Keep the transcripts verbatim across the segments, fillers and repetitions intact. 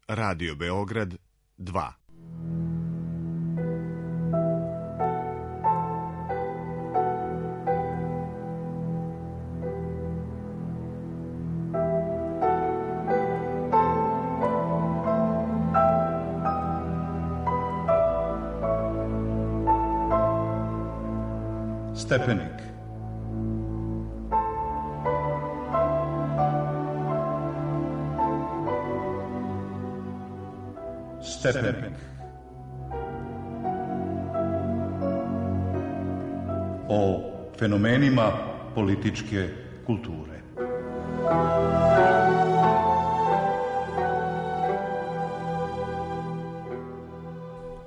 Radio Beograd dva. Stepenik. Stepenik. O fenomenima političke kulture.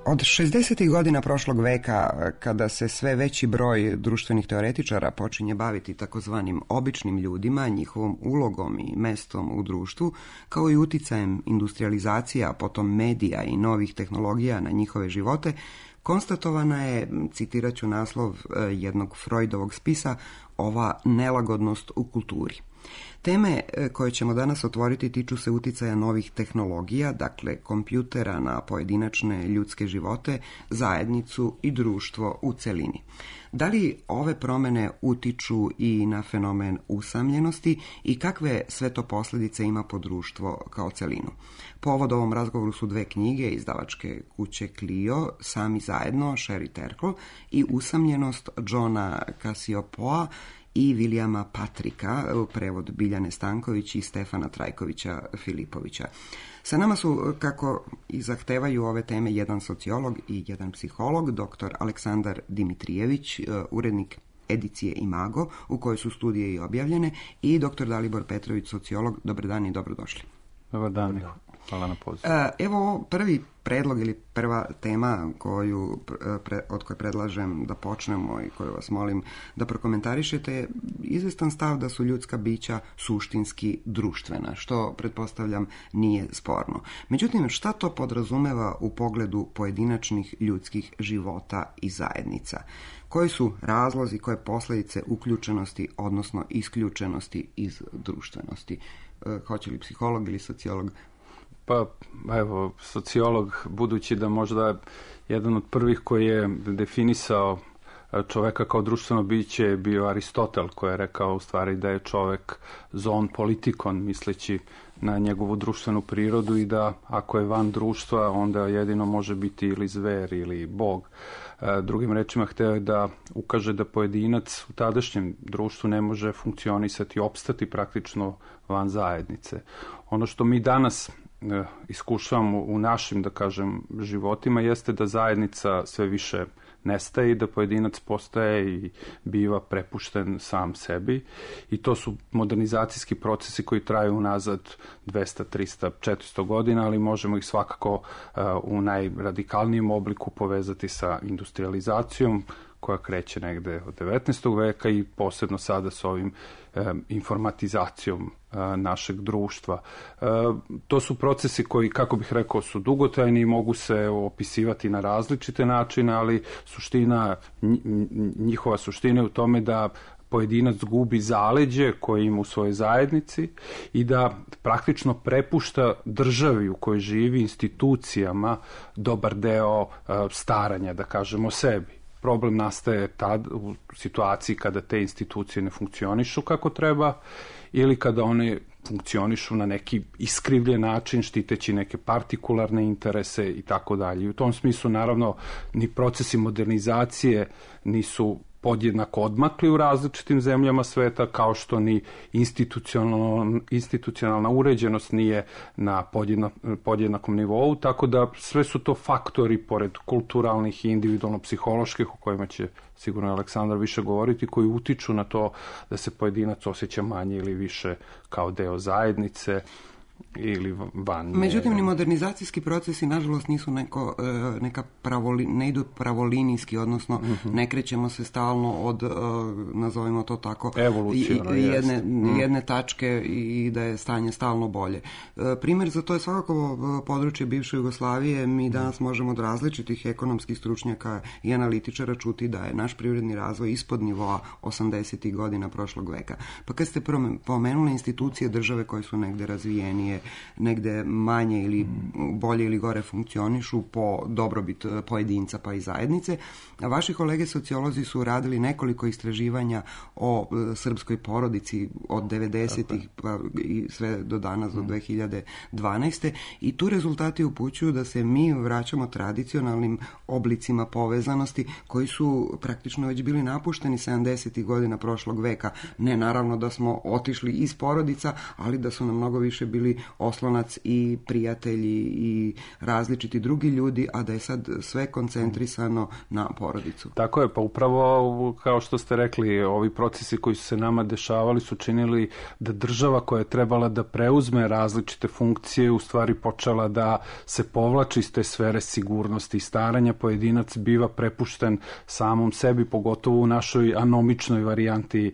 Od šezdesetih godina prošlog veka, kada se sve veći broj društvenih teoretičara počinje baviti takozvanim običnim ljudima, njihovom ulogom i mestom u društvu, kao i uticajem industrializacija, potom medija i novih tehnologija na njihove živote, konstatovana je, citirat ću naslov jednog Freudovog spisa, ova nelagodnost u kulturi. Teme koje ćemo danas otvoriti tiču se uticaja novih tehnologija, dakle kompjutera na pojedinačne ljudske živote, zajednicu i društvo u celini. Da li ove promene utiču i na fenomen usamljenosti i kakve sve to posljedice ima po društvo kao celinu? Povod ovom razgovoru su dve knjige izdavačke kuće Clio, Sami zajedno, Sherry Terkel, i Usamljenost Johna Cassioppoa i Vilijama Patrika, prevod Biljane Stanković i Stefana Trajkovića Filipovića. Sa nama su, kako i zahtevaju ove teme, jedan sociolog i jedan psiholog, doktor Aleksandar Dimitrijević, urednik edicije Imago, u kojoj su studije i objavljene, i doktor Dalibor Petrović, sociolog. Dobar dan i dobrodošli. Dobar dan, hvala na pozivu. Evo prvi predlog ili prva tema koju, od koje predlažem da počnemo i koju vas molim da prokomentarišete je izvestan stav da su ljudska bića suštinski društvena, što pretpostavljam nije sporno. Međutim, šta to podrazumeva u pogledu pojedinačnih ljudskih života i zajednica? Koji su razlozi, koje posljedice uključenosti, odnosno isključenosti iz društvenosti? Hoće li psiholog ili sociolog? Pa, evo, sociolog, budući da možda jedan od prvih koji je definisao čoveka kao društveno biće je bio Aristotel, koji je rekao u stvari da je čovek zoon politikon, misleći na njegovu društvenu prirodu i da ako je van društva, onda jedino može biti ili zver ili bog. Drugim rečima, hteo je da ukaže da pojedinac u tadašnjem društvu ne može funkcionisati i opstati praktično van zajednice. Ono što mi danas iskušavamo u našim, da kažem, životima jeste da zajednica sve više nestaje i da pojedinac postaje i biva prepušten sam sebi, i to su modernizacijski procesi koji traju unazad dvesta, trista, četiristo godina, ali možemo ih svakako uh, u najradikalnijem obliku povezati sa industrializacijom koja kreće negde od devetnaestog veka i posebno sada s ovim um, informatizacijom uh, našeg društva. Uh, to su procesi koji, kako bih rekao, su dugotrajni i mogu se opisivati na različite načine, ali suština, njihova suština je u tome da pojedinac gubi zaleđe koje ima u svojoj zajednici i da praktično prepušta državi u kojoj živi, institucijama, dobar deo uh, staranja, da kažemo, o sebi. Problem nastaje tad u situaciji kada te institucije ne funkcionišu kako treba ili kada one funkcionišu na neki iskrivljen način, štiteći neke partikularne interese i tako dalje. U tom smislu, naravno, ni procesi modernizacije nisu podjednako odmakli u različitim zemljama sveta, kao što ni institucionalna, institucionalna uređenost nije na podjednak, podjednakom nivou, tako da sve su to faktori, pored kulturalnih i individualno-psiholoških, o kojima će sigurno Aleksandar više govoriti, koji utiču na to da se pojedinac osjeća manje ili više kao deo zajednice ili van. Međutim, ni modernizacijski procesi nažalost nisu neko, neka pravoli, ne idu pravolinijski, odnosno mm-hmm. ne krećemo se stalno od, nazovimo to tako, evoluciono, jedne, mm. jedne tačke i da je stanje stalno bolje. Primjer za to je svakako područje bivše Jugoslavije. Mi danas možemo od različitih ekonomskih stručnjaka i analitičara čuti da je naš privredni razvoj ispod nivoa osamdesetih godina prošlog veka. Pa kad ste pomenuli institucije države koje su negde razvijenije, kasnije negde manje ili bolje ili gore funkcionišu po dobrobit pojedinca pa i zajednice. A vaši kolege sociolozi su radili nekoliko istraživanja o srpskoj porodici od devedesetih pa i sve do danas, do dve hiljade dvanaeste. I tu rezultati upućuju da se mi vraćamo tradicionalnim oblicima povezanosti koji su praktično već bili napušteni sedamdesetih godina prošlog veka. Ne naravno da smo otišli iz porodica, ali da su nam mnogo više bili oslonac i prijatelji i različiti drugi ljudi, a da je sad sve koncentrisano na porodicu. Tako je, pa upravo kao što ste rekli, ovi procesi koji su se nama dešavali su činili da država koja je trebala da preuzme različite funkcije u stvari počela da se povlači iz te sfere sigurnosti i staranja. Pojedinac biva prepušten samom sebi, pogotovo u našoj anomičnoj varijanti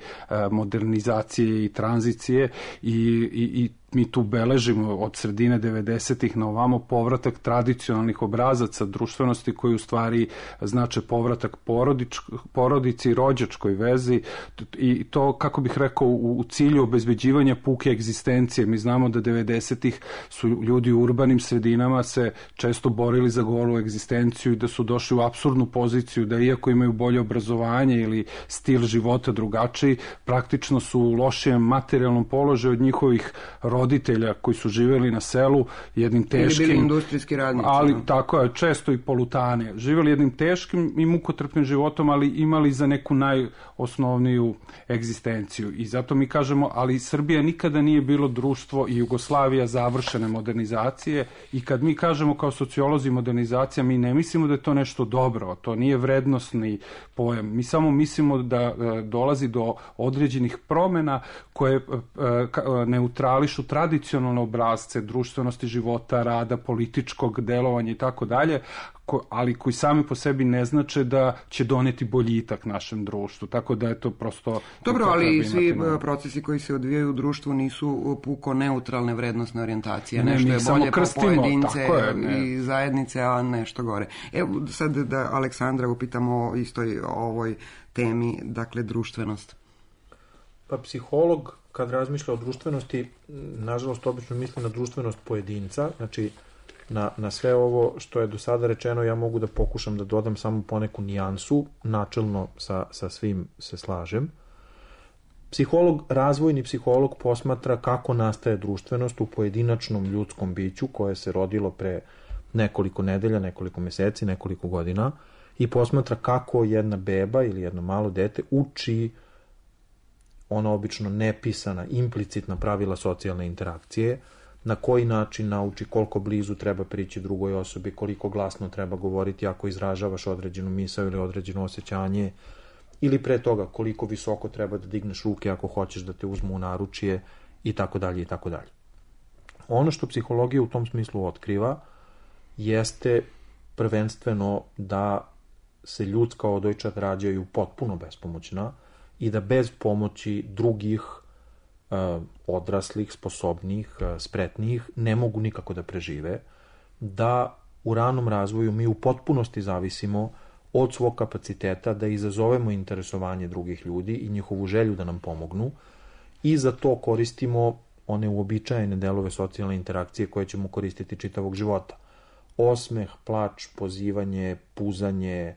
modernizacije i tranzicije i, i, i mi tu beležimo od sredine devedesetih na ovamo povratak tradicionalnih obrazaca društvenosti koji u stvari znače povratak porodič, porodici i rođačkoj vezi i to, kako bih rekao, u, u cilju obezbeđivanja puke egzistencije. Mi znamo da devedesetih su ljudi u urbanim sredinama se često borili za golu egzistenciju i da su došli u apsurdnu poziciju da iako imaju bolje obrazovanje ili stil života drugačiji, praktično su u lošijem materijalnom položaju od njihovih roditelja koji su živjeli na selu jednim teškim... Ili bili industrijski radnici. Ali no? Tako je, često i polutane. Živjeli jednim teškim i mukotrpnim životom, ali imali za neku najosnovniju egzistenciju. I zato mi kažemo, ali Srbija nikada nije bilo društvo i Jugoslavija završene modernizacije i kad mi kažemo kao sociolozi modernizacija, mi ne mislimo da je to nešto dobro, to nije vrednosni pojam. Mi samo mislimo da dolazi do određenih promjena koje neutrališu tradicionalne obrazce društvenosti života, rada, političkog delovanja i tako dalje, ali koji sami po sebi ne znače da će doneti boljitak našem društvu. Tako da je to prosto... Dobro, ali svi imati... procesi koji se odvijaju u društvu nisu puko neutralne vrednostne orijentacije. Ne, nešto je bolje po pojedince je, i zajednice, a nešto gore. Evo sad da Aleksandra upitamo o istoj ovoj temi, dakle društvenost. Pa psiholog kad razmišlja o društvenosti, nažalost obično misli na društvenost pojedinca, znači na, na sve ovo što je do sada rečeno ja mogu da pokušam da dodam samo poneku nijansu, načelno sa, sa svim se slažem. Psiholog, razvojni psiholog posmatra kako nastaje društvenost u pojedinačnom ljudskom biću koje se rodilo pre nekoliko nedelja, nekoliko meseci, nekoliko godina i posmatra kako jedna beba ili jedno malo dete uči ona obično nepisana, implicitna pravila socijalne interakcije, na koji način nauči koliko blizu treba prići drugoj osobi, koliko glasno treba govoriti ako izražavaš određenu misao ili određeno osjećanje, ili pre toga koliko visoko treba da digneš ruke ako hoćeš da te uzmu u naručje i tako dalje i tako dalje. Ono što psihologija u tom smislu otkriva jeste prvenstveno da se ljudska odojčad rađaju potpuno bespomoćna i da bez pomoći drugih uh, odraslih, sposobnih, uh, spretnijih ne mogu nikako da prežive, da u ranom razvoju mi u potpunosti zavisimo od svog kapaciteta da izazovemo interesovanje drugih ljudi i njihovu želju da nam pomognu i za to koristimo one uobičajene delove socijalne interakcije koje ćemo koristiti čitavog života. Osmeh, plač, pozivanje, puzanje,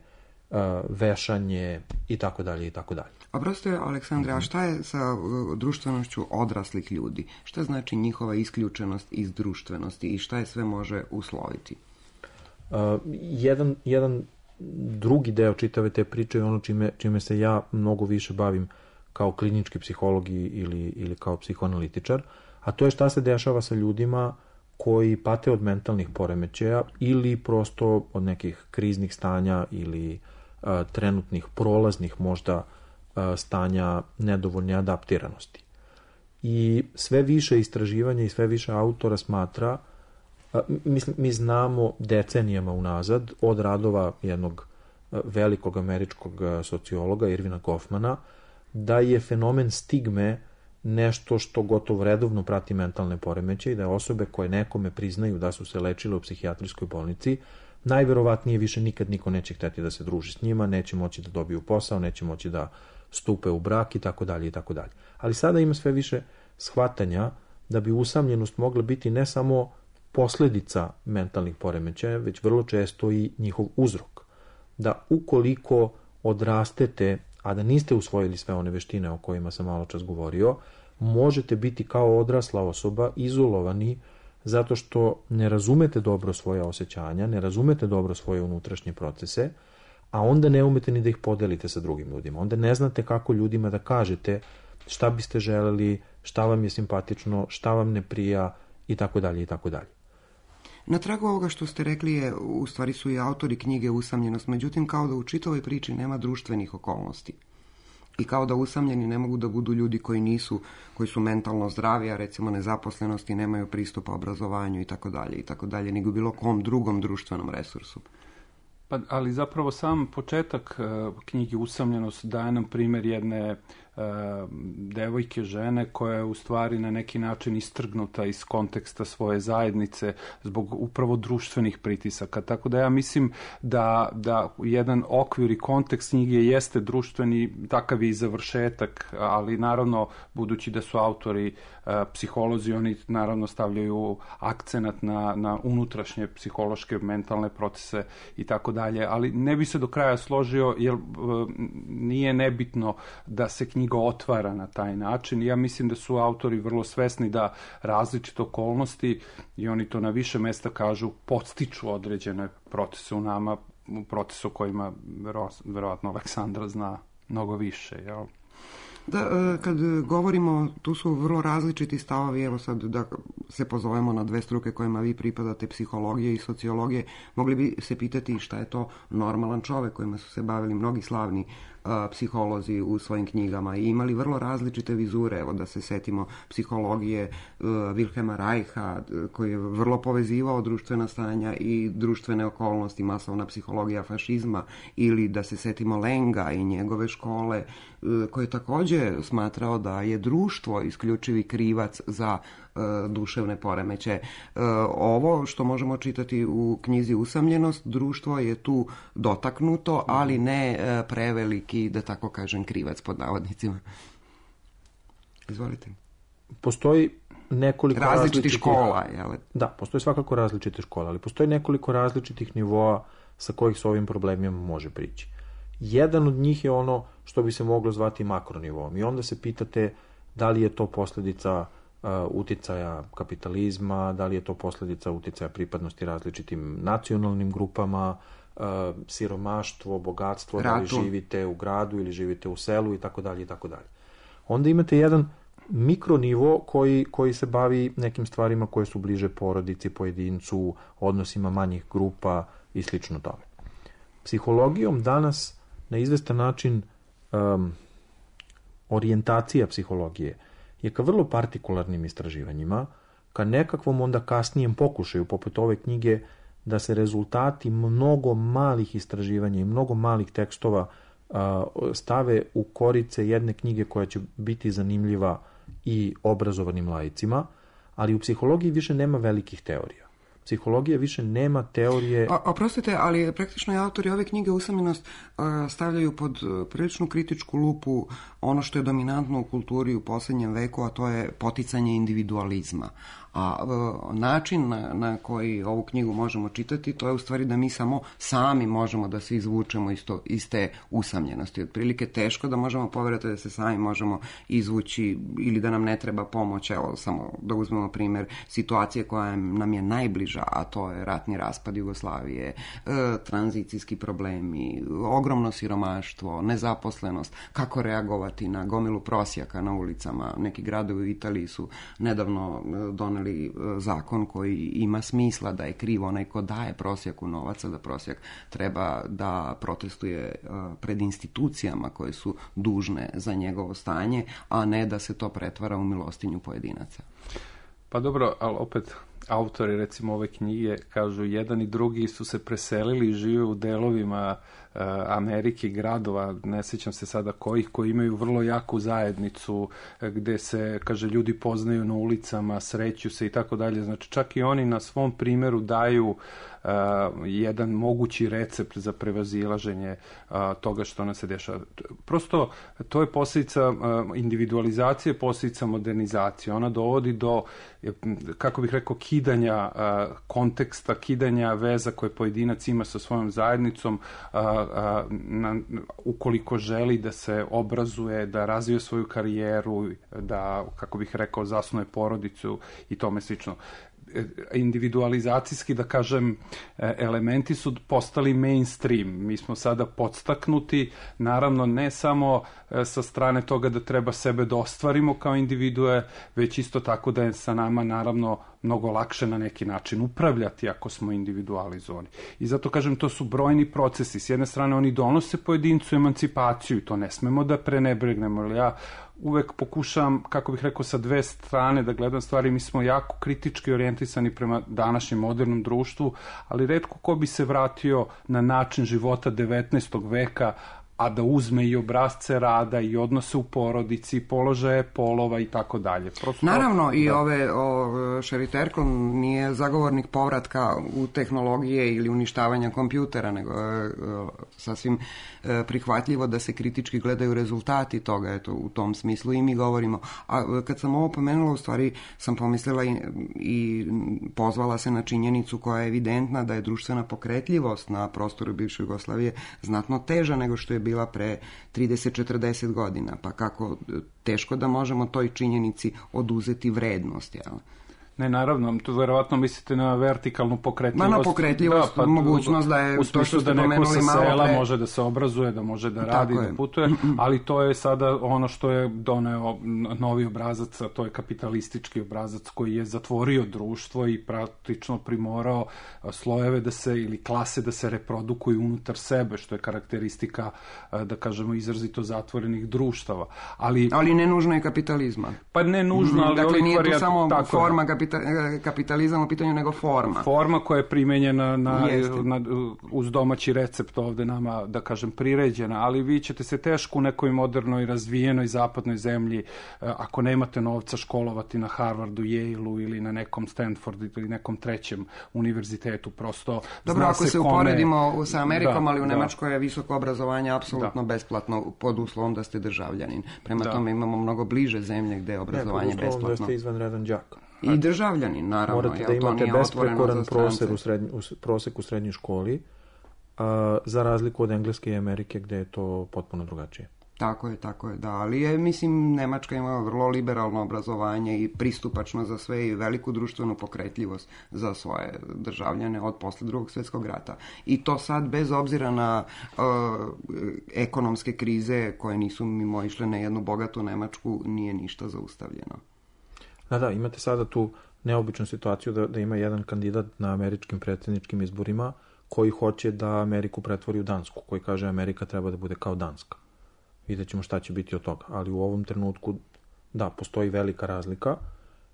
uh, vešanje i tako dalje i tako dalje. A prosto je, Aleksandra, a šta je sa društvenošću odraslih ljudi? Šta znači njihova isključenost iz društvenosti i šta je sve može usloviti? Uh, jedan, jedan drugi deo čitave te priče je ono čime, čime se ja mnogo više bavim kao klinički psiholog ili, ili kao psihoanalitičar, a to je šta se dešava sa ljudima koji pate od mentalnih poremećaja ili prosto od nekih kriznih stanja ili uh, trenutnih prolaznih možda uh, stanja nedovoljne adaptiranosti. I sve više istraživanja i sve više autora smatra, uh, mislim, mi znamo decenijama unazad od radova jednog uh, velikog američkog uh, sociologa Irvina Goffmana da je fenomen stigme nešto što gotovo redovno prati mentalne poremećaje i da osobe koje nekome priznaju da su se lečile u psihijatrijskoj bolnici, najverovatnije više nikad niko neće hteti da se druži s njima, neće moći da dobiju posao, neće moći da stupe u brak i tako dalje i tako dalje. Ali sada ima sve više shvatanja da bi usamljenost mogla biti ne samo posljedica mentalnih poremećaja, već vrlo često i njihov uzrok. Da ukoliko odrastete, a da niste usvojili sve one veštine o kojima sam malo čas govorio, možete biti kao odrasla osoba izolovani zato što ne razumete dobro svoje osjećanja, ne razumete dobro svoje unutrašnje procese, a onda ne umete ni da ih podelite sa drugim ljudima. Onda ne znate kako ljudima da kažete šta biste želeli, šta vam je simpatično, šta vam ne prija i tako dalje i tako dalje. Na tragu ovoga što ste rekli je, u stvari su i autori knjige Usamljenost, međutim kao da u čitavoj priči nema društvenih okolnosti. I kao da usamljeni ne mogu da budu ljudi koji nisu, koji su mentalno zdravi, a recimo nezaposlenosti, nemaju pristupa obrazovanju i tako dalje i tako dalje, nego bilo kom drugom društvenom resursu. Pa, ali zapravo sam početak uh, knjige Usamljenost daje nam primjer jedne uh, devojke, žene koja je u stvari na neki način istrgnuta iz konteksta svoje zajednice zbog upravo društvenih pritisaka. Tako da ja mislim da, da jedan okvir i kontekst knjige jeste društveni, takav je i završetak, ali naravno budući da su autori uh, psiholozi, oni naravno stavljaju akcenat na, na unutrašnje psihološke, mentalne procese i tako dalje, ali ne bi se do kraja složio jer uh, nije nebitno da se knjiga otvara na taj način. Ja mislim da su autori vrlo svesni da različite okolnosti, i oni to na više mesta kažu, podstiču određene procese u nama, procese o kojima verovatno Aleksandra zna mnogo više, jel? Da, kad govorimo, tu su vrlo različiti stavovi, evo sad da se pozovemo na dve struke kojima vi pripadate, psihologije i sociologije, mogli bi se pitati šta je to normalan čovek, kojima su se bavili mnogi slavni a, psiholozi u svojim knjigama i imali vrlo različite vizure, evo da se setimo psihologije a, Wilhelma Reicha, koji je vrlo povezivao društvena stanja i društvene okolnosti, masovna psihologija fašizma, ili da se setimo Lenga i njegove škole, a, koji je takođe smatrao da je društvo isključivi krivac za duševne poremeće. Ovo što možemo čitati u knjizi Usamljenost, društvo je tu dotaknuto, ali ne preveliki, da tako kažem, krivac pod navodnicima. Izvolite. Postoji nekoliko različitih različitih škola, jel? Da, postoji svakako različite škole, ali postoji nekoliko različitih nivoa sa kojih se ovim problemima može prići. Jedan od njih je ono što bi se moglo zvati makronivom i onda se pitate da li je to posljedica Uh, uticaja kapitalizma, da li je to posljedica uticaja pripadnosti različitim nacionalnim grupama, uh, siromaštvo, bogatstvo, Ratu. Da li živite u gradu ili živite u selu i tako dalje i tako dalje. Onda imate jedan mikronivo koji, koji se bavi nekim stvarima koje su bliže porodici, pojedincu, odnosima manjih grupa i slično tome. Psihologijom danas na izvestan način um, orijentacija psihologije je ka vrlo partikularnim istraživanjima, ka nekakvom onda kasnijem pokušaju, poput ove knjige, da se rezultati mnogo malih istraživanja i mnogo malih tekstova a, stave u korice jedne knjige koja će biti zanimljiva i obrazovanim laicima, ali u psihologiji više nema velikih teorija. Psihologija više nema teorije... O, oprostite, ali praktično i autori ove knjige Usamljenost stavljaju pod priličnu kritičku lupu ono što je dominantno u kulturi u posljednjem veku, a to je poticanje individualizma. A e, način na, na koji ovu knjigu možemo čitati, to je u stvari da mi samo sami možemo da se izvučemo iz, to, iz te usamljenosti. Otprilike teško da možemo poverati da se sami možemo izvući ili da nam ne treba pomoć. Evo, samo da uzmemo primjer situacije koja nam je najbliža, a to je ratni raspad Jugoslavije, e, tranzicijski problemi, ogromno siromaštvo, nezaposlenost, kako reagovati na gomilu prosjaka na ulicama. Neki gradovi u Italiji su nedavno doneli zakon koji ima smisla da je krivo onaj ko daje prosjaku novaca, da prosjak treba da protestuje pred institucijama koje su dužne za njegovo stanje, a ne da se to pretvara u milostinju pojedinaca. Pa dobro, ali opet autori recimo ove knjige kažu jedan i drugi su se preselili i žive u delovima Amerike, gradova, ne sjećam se sada kojih, koji imaju vrlo jaku zajednicu, gde se, kaže, ljudi poznaju na ulicama, sreću se i tako dalje. Znači, čak i oni na svom primjeru daju uh, jedan mogući recept za prevazilaženje uh, toga što nam se dešava. Prosto, to je posljedica uh, individualizacije, posljedica modernizacije. Ona dovodi do, kako bih rekao, kidanja uh, konteksta, kidanja veza koje pojedinac ima sa svojom zajednicom, uh, uh, na, ukoliko želi da se obrazuje, da razvije svoju karijeru, da, kako bih rekao, zasnuje porodicu i tome slično. Individualizacijski, da kažem, elementi su postali mainstream. Mi smo sada podstaknuti, naravno ne samo sa strane toga da treba sebe da ostvarimo kao individue, već isto tako da je sa nama naravno mnogo lakše na neki način upravljati ako smo individualizovani. I zato kažem, to su brojni procesi. S jedne strane oni donose pojedincu emancipaciju i to ne smemo da prenebregnemo, jer ja uvek pokušavam, kako bih rekao, sa dve strane da gledam stvari. Mi smo jako kritički orijentisani prema današnjem modernom društvu, ali retko ko bi se vratio na način života devetnaestog veka, a da uzme i obrazce rada i odnose u porodici, položaje polova i tako dalje. Prosto, naravno, i da. ove, o, Sherry Turkle nije zagovornik povratka u tehnologije ili uništavanja kompjutera, nego je sasvim e, prihvatljivo da se kritički gledaju rezultati toga, eto, u tom smislu i mi govorimo. A kad sam ovo pomenula, u stvari sam pomislila i, i pozvala se na činjenicu koja je evidentna, da je društvena pokretljivost na prostoru bivše Jugoslavije znatno teža nego što je bila pre trideset do četrdeset godina, pa kako teško da možemo toj činjenici oduzeti vrednost, jel? Ne, naravno, tu verovatno mislite na vertikalnu pokretljivost. Ma na pokretljivost, da, pa, mogućnost da je u to što ste da neko sa sela pre... može da se obrazuje, da može da radi, da putuje, ali to je sada ono što je doneo novi obrazac, a to je kapitalistički obrazac koji je zatvorio društvo i praktično primorao slojeve da se, ili klase da se reprodukuju unutar sebe, što je karakteristika, da kažemo, izrazito zatvorenih društava. Ali, ali ne nužno je kapitalizma. Pa ne nužno, ali... Dakle, nije tu samo tako forma kapitalizma, kapitalizam u pitanju, nego forma. Forma koja je primenjena na, na, uz domaći recept ovde nama, da kažem, priređena, ali vi ćete se teško u nekoj modernoj, razvijenoj zapadnoj zemlji, ako nemate novca, školovati na Harvardu, Yale-u ili na nekom Stanfordu ili nekom trećem univerzitetu, prosto. Dobro, ako se, se kome... uporedimo sa Amerikom, da, ali u da. Nemačkoj je visoko obrazovanje apsolutno da. besplatno, pod uslovom da ste državljanin. Prema da. tome imamo mnogo bliže zemlje gde je obrazovanje ne, pod uslovom besplatno. Da ste izvanredan đak. I državljani, naravno. Morate da imate besprekoran prosek u, srednj, u prosek u srednjoj školi, a, za razliku od Engleske i Amerike, gde je to potpuno drugačije. Tako je, tako je, da. Ali je, mislim, Nemačka ima vrlo liberalno obrazovanje i pristupačno za sve i veliku društvenu pokretljivost za svoje državljane od posle drugog svjetskog rata. I to sad, bez obzira na uh, ekonomske krize koje nisu mimo išle na jednu bogatu Nemačku, nije ništa zaustavljeno. Da, da, imate sada tu neobičnu situaciju da, da ima jedan kandidat na američkim predsjedničkim izborima koji hoće da Ameriku pretvori u Dansku, koji kaže Amerika treba da bude kao Danska. Vidjet ćemo šta će biti od toga. Ali u ovom trenutku, da, postoji velika razlika,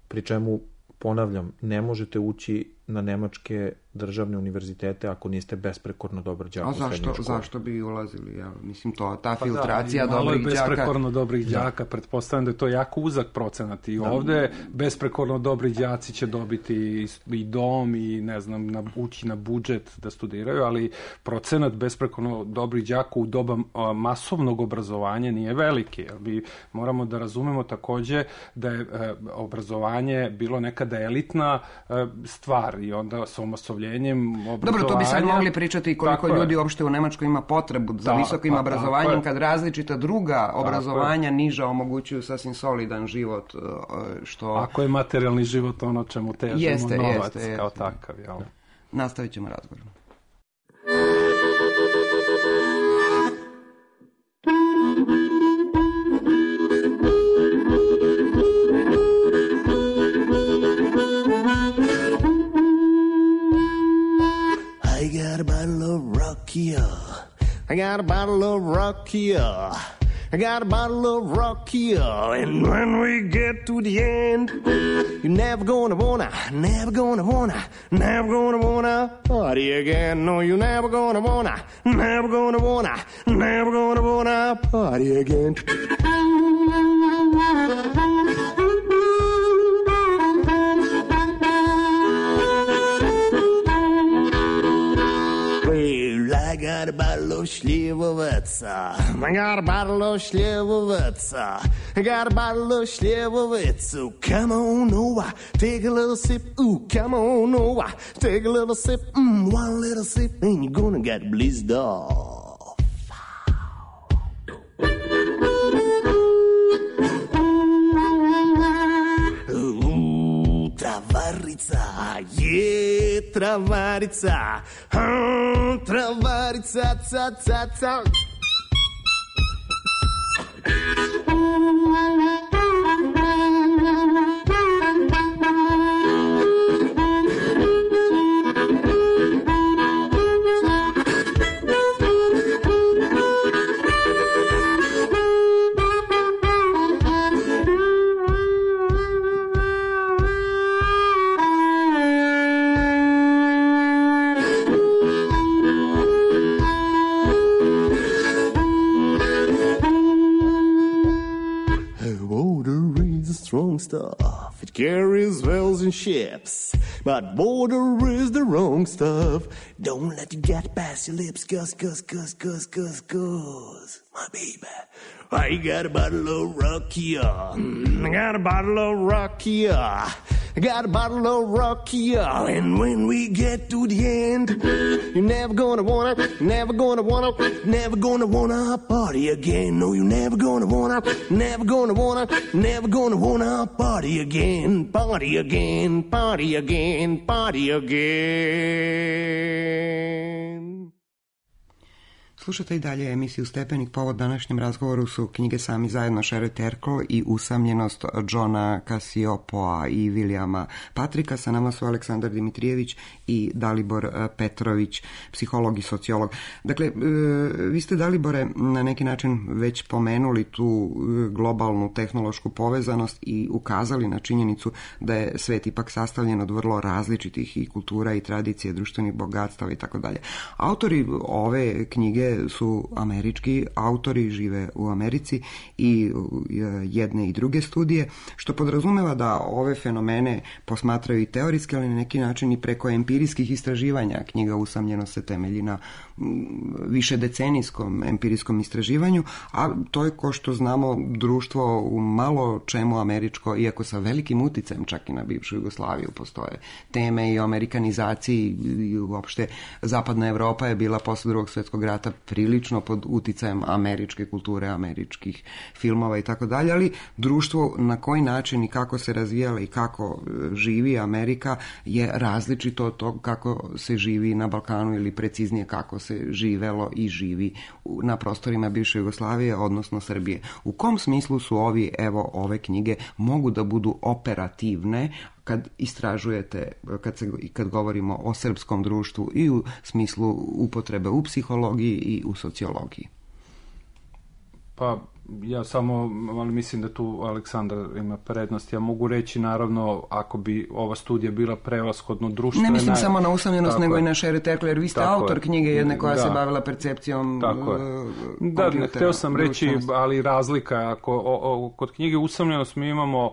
pri čemu, ponavljam, ne možete ući na nemačke državne univerzitete ako niste besprekorno dobar đak u srednjoj školi. Zašto bi ulazili? Ja, mislim, to, ta pa filtracija da, dobrih đaka... Malo je besprekorno dobrih đaka, da. Pretpostavljam da je to jako uzak procenat i da. Ovde besprekorno dobri đaci će dobiti i dom i, ne znam, na, ući na budžet da studiraju, ali procenat besprekorno dobrih đaka u doba a, masovnog obrazovanja nije veliki. Jer mi moramo da razumemo takođe da je a, obrazovanje bilo nekada elitna a, stvar i onda sa omasovljenjem obrazovanja... Dobro, to bi sad mogli pričati i koliko ljudi uopšte u Nemačkoj ima potrebu za da, visokim pa, obrazovanjem, kad različita druga obrazovanja niža omogućuju sasvim solidan život, što... Ako je materijalni život ono čemu težimo, jeste, novac jeste, jeste. kao takav, jel? Nastavit ćemo razgovor. I got a bottle of Rakia. I got a bottle of Rakia. I got a bottle of Rocky-O, and when we get to the end, you're never gonna wanna, never gonna wanna, never gonna wanna party again. No, you're never gonna wanna, never gonna wanna, never gonna wanna party again. I got a bottle of Slivovica. I got a bottle of Slivovica. I got a bottle of Slivovica. Come on over, take a little sip. Ooh, come on over, take a little sip. Mm, one little sip, and you're gonna get blizzed off. Ooh, Travarica, yeah, Travarica. Oh, Travarica, ta, ta, ta. Strong stuff, it carries wells and ships, but water is the wrong stuff. Don't let it get past your lips, cuz, cuz, cuz, cuz, cuz, cuz, my baby. I got a bottle of Rocky-O, I got a bottle of Rocky-O, I got a bottle of Rocky-O, and when we get to the end, you're never gonna wanna, never gonna wanna, never gonna wanna party again. No, you're never gonna wanna, never gonna wanna, never gonna wanna party again, party again, party again, party again. Slušate i dalje emisiju Stepenik. Povod današnjem razgovoru su knjige Sami zajedno Sherry Turkle i Usamljenost Johna Cassioppoa i Williama Patricka. Sa nama su Aleksandar Dimitrijević i Dalibor Petrović, psiholog i sociolog. Dakle, vi ste, Dalibore, na neki način već pomenuli tu globalnu tehnološku povezanost i ukazali na činjenicu da je svet ipak sastavljen od vrlo različitih i kultura i tradicije, društvenih bogatstava i tako dalje. Autori ove knjige su američki autori, žive u Americi i jedne i druge studije, što podrazumeva da ove fenomene posmatraju i teorijski, ali na neki način i preko empirijskih istraživanja. Knjiga Usamljenost se temelji na više decenijskom empirijskom istraživanju, a to je, ko što znamo, društvo u malo čemu američko, iako sa velikim uticajem čak i na bivšu Jugoslaviju. Postoje teme i o amerikanizaciji i uopšte zapadna Evropa je bila posle Drugog svjetskog rata prilično pod uticajem američke kulture, američkih filmova i tako dalje, ali društvo na koji način i kako se razvijala i kako živi Amerika je različito od toga kako se živi na Balkanu ili preciznije kako se živelo i živi na prostorima bivše Jugoslavije, odnosno Srbije. U kom smislu su ovi, evo, ove knjige mogu da budu operativne kad istražujete, kad, se, kad govorimo o srpskom društvu i u smislu upotrebe u psihologiji i u sociologiji? Pa ja samo, ali mislim da tu Aleksandar ima prednost. Ja mogu reći, naravno, ako bi ova studija bila prevashodno društvena... Ne mislim samo na Usamljenost, nego i na Sherry Turkle, jer vi ste autor knjige jedne koja da. se bavila percepcijom kompjutera. Da, hteo sam reći, ali razlika, ako o, o, kod knjige Usamljenost mi imamo,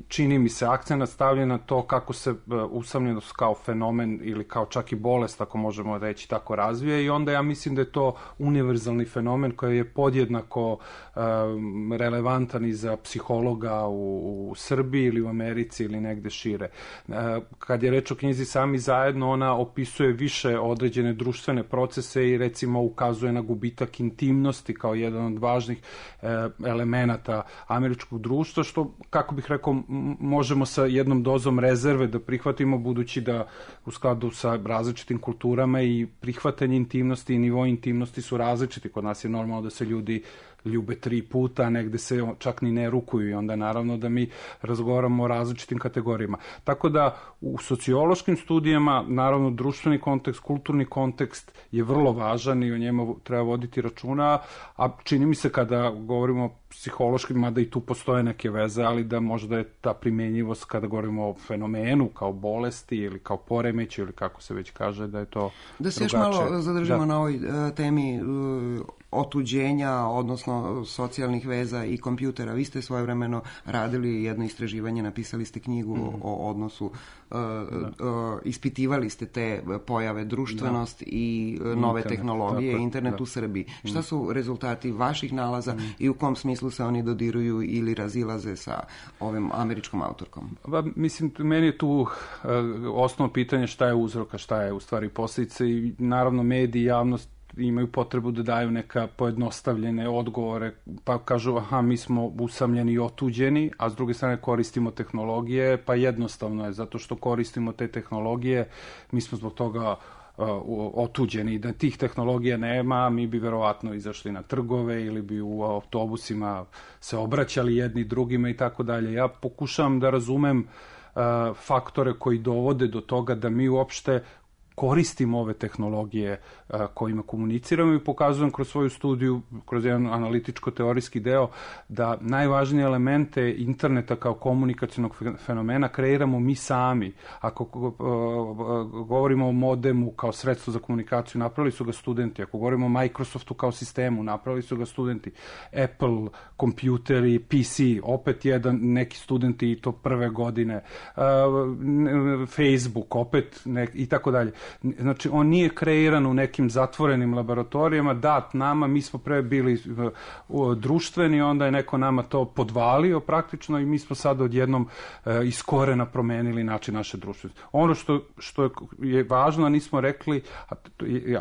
čini mi se, akcenat stavljen na to kako se usamljenost kao fenomen ili kao čak i bolest, ako možemo reći, tako razvija, i onda ja mislim da je to univerzalni fenomen koji je podjednako um, relevantan i za psihologa u, u Srbiji ili u Americi ili negde šire. Uh, kad je reč o knjizi Sami zajedno, ona opisuje više određene društvene procese i recimo ukazuje na gubitak intimnosti kao jedan od važnih uh, elemenata američkog društva, što, kako bih rekao, možemo sa jednom dozom rezerve da prihvatimo, budući da u skladu sa različitim kulturama i prihvatanje intimnosti i nivo intimnosti su različiti. Kod nas je normalno da se ljudi ljube tri puta, a negde se čak ni ne rukuju i onda naravno da mi razgovaramo o različitim kategorijama. Tako da u sociološkim studijama naravno društveni kontekst, kulturni kontekst je vrlo važan i o njemu treba voditi računa, a čini mi se kada govorimo o psihološkim, mada i tu postoje neke veze, ali da možda je ta primenjivost kada govorimo o fenomenu kao bolesti ili kao poremeću ili kako se već kaže, da je to Da se još drugačije. malo zadržimo Da. na ovoj uh, temi uh, otuđenja, odnosno socijalnih veza i kompjutera. Vi ste svojevremeno radili jedno istraživanje, napisali ste knjigu mm. o odnosu, uh, uh, ispitivali ste te pojave, društvenost da. i uh, nove internet, tehnologije, tako, internet da. u Srbiji. Mm. Šta su rezultati vaših nalaza mm. i u kom smislu se oni dodiruju ili razilaze sa ovim američkom autorkom? Ba, mislim, meni je tu uh, osnovno pitanje šta je uzroka, šta je u stvari posljedice i naravno mediji, javnost imaju potrebu da daju neka pojednostavljene odgovore, pa kažu aha, mi smo usamljeni i otuđeni, a s druge strane koristimo tehnologije, pa jednostavno je, zato što koristimo te tehnologije, mi smo zbog toga uh, otuđeni. Da tih tehnologija nema, mi bi verovatno izašli na trgove ili bi u autobusima se obraćali jedni drugima i tako dalje. Ja pokušavam da razumem uh, faktore koji dovode do toga da mi uopšte koristimo ove tehnologije a, kojima komuniciramo i pokazujem kroz svoju studiju, kroz jedan analitičko-teorijski deo, da najvažnije elemente interneta kao komunikacionog fenomena kreiramo mi sami. Ako a, a, govorimo o modemu kao sredstvo za komunikaciju, napravili su ga studenti. Ako govorimo o Microsoftu kao sistemu, napravili su ga studenti. Apple, kompjuteri, P C, opet jedan, neki studenti i to prve godine. A, Facebook, opet nek, i tako dalje. Znači, on nije kreiran u nekim zatvorenim laboratorijama, dat nama, mi smo pre bili uh, društveni, onda je neko nama to podvalio praktično i mi smo sad odjednom uh, iz korena promenili način naše društvenosti. Ono što, što je važno, a nismo rekli, a,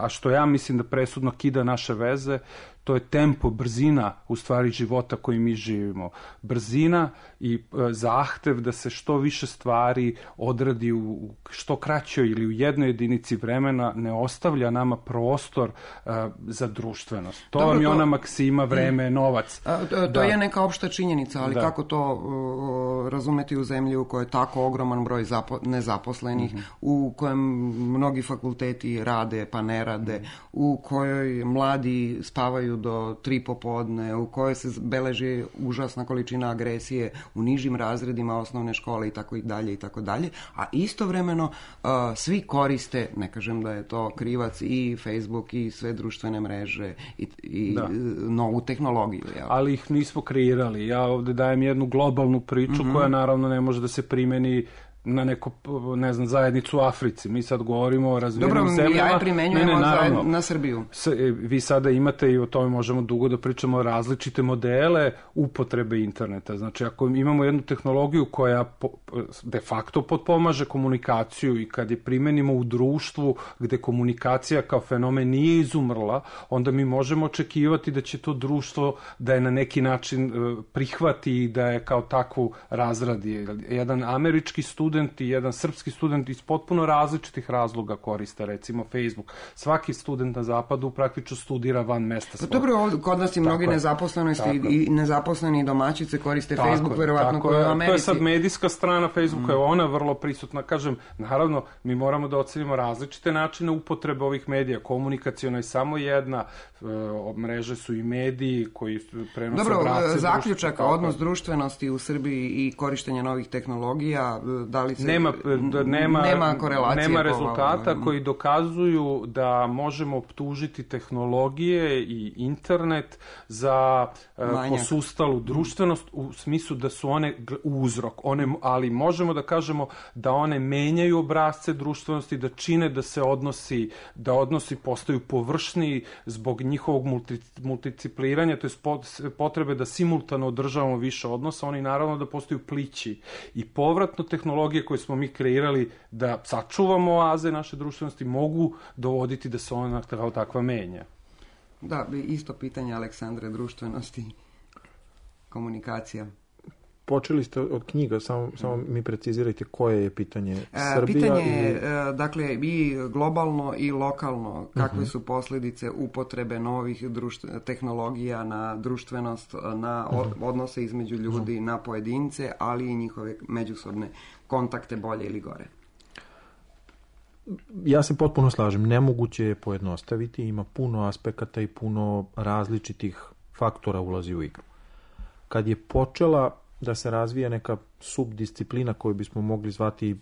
a što ja mislim da presudno kida naše veze, to je tempo, brzina u stvari života koji mi živimo. Brzina i e, zahtev da se što više stvari odradi u što kraćoj ili u jednoj jedinici vremena ne ostavlja nama prostor e, za društvenost. To Dobro, vam je to... ona maksima, vreme, novac. A, to da. je neka opšta činjenica, ali da. kako to uh, razumeti u zemlji u kojoj je tako ogroman broj zapo nezaposlenih, mm-hmm. u kojem mnogi fakulteti rade pa ne rade, mm-hmm. u kojoj mladi spavaju do tri popodne, u kojoj se beleži užasna količina agresije u nižim razredima osnovne škole i tako i dalje i tako dalje, a istovremeno uh, svi koriste, ne kažem da je to krivac, i Facebook i sve društvene mreže i, i novu tehnologiju. Jel? Ali ih nismo kreirali. Ja ovde dajem jednu globalnu priču mm-hmm. koja naravno ne može da se primeni na neku, ne znam, zajednicu u Africi. Mi sad govorimo o razvijenim zemljama. Dobro, ja je primenjujemo ne, ne, na Srbiju. S, vi sada imate, i o tome možemo dugo da pričamo, različite modele upotrebe interneta. Znači, ako imamo jednu tehnologiju koja po, de facto potpomaže komunikaciju i kad je primenimo u društvu gde komunikacija kao fenomen nije izumrla, onda mi možemo očekivati da će to društvo da je na neki način prihvati i da je kao takvu razradi. Jedan američki student i jedan srpski student iz potpuno različitih razloga koriste, recimo Facebook. Svaki student na zapadu praktično studira van mesta svog. Dobro, kod nas i mnogi nezaposlenosti i nezaposleni domaćice koriste tako, Facebook, verovatno koji je u Americi. To je sad medijska strana Facebooka, mm. je ona vrlo prisutna. Kažem, naravno, mi moramo da ocenimo različite načine upotrebe ovih medija. Komunikaciona je samo jedna, e, mreže su i mediji koji prenose Dobro, brace. zaključak, odnos društvenosti u Srbiji i korištenje novih tehnologija, da li se, nema, da, nema, nema korelacije, nema rezultata koji dokazuju da možemo optužiti tehnologije i internet za uh, posustalu društvenost u smislu da su one uzrok, one, ali možemo da kažemo da one menjaju obrasce društvenosti, da čine da se odnosi, da odnosi postaju površniji zbog njihovog multi, multicipliranja, to je potrebe da simultano održavamo više odnosa, oni naravno da postaju plići i povratno tehnologije koje smo mi kreirali da sačuvamo oaze naše društvenosti mogu dovoditi da se ona kao takva menja. Da, isto pitanje, Aleksandre, društvenosti, komunikacija. počeli ste od knjiga, samo, samo mi precizirajte koje je pitanje. Srbija Pitanje je, ili... dakle, i globalno i lokalno, kakve uh-huh. su posljedice upotrebe novih društv, tehnologija na društvenost, na uh-huh. odnose između ljudi, uh-huh. na pojedince, ali i njihove međusobne kontakte, bolje ili gore. Ja se potpuno slažem, nemoguće je pojednostaviti, ima puno aspekata i puno različitih faktora ulazi u igru. Kad je počela da se razvija neka subdisciplina koju bismo mogli zvati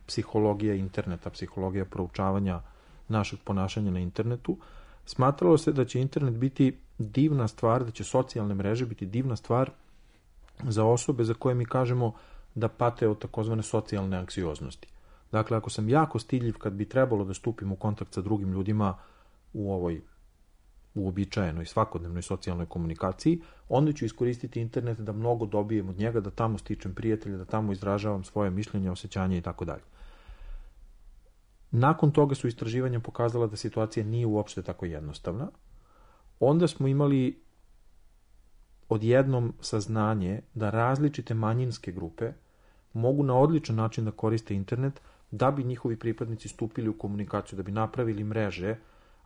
psihologija interneta, psihologija proučavanja našeg ponašanja na internetu, smatralo se da će internet biti divna stvar, da će socijalne mreže biti divna stvar za osobe za koje mi kažemo da pate od takozvane socijalne anksioznosti. Dakle, ako sam jako stidljiv kad bi trebalo da stupim u kontakt sa drugim ljudima u ovoj uobičajenoj svakodnevnoj socijalnoj komunikaciji, onda ću iskoristiti internet da mnogo dobijem od njega, da tamo stičem prijatelja, da tamo izražavam svoje mišljenje, osjećanje i tako dalje. Nakon toga su istraživanja pokazala da situacija nije uopšte tako jednostavna. Onda smo imali odjednom saznanje da različite manjinske grupe mogu na odličan način da koriste internet da bi njihovi pripadnici stupili u komunikaciju, da bi napravili mreže.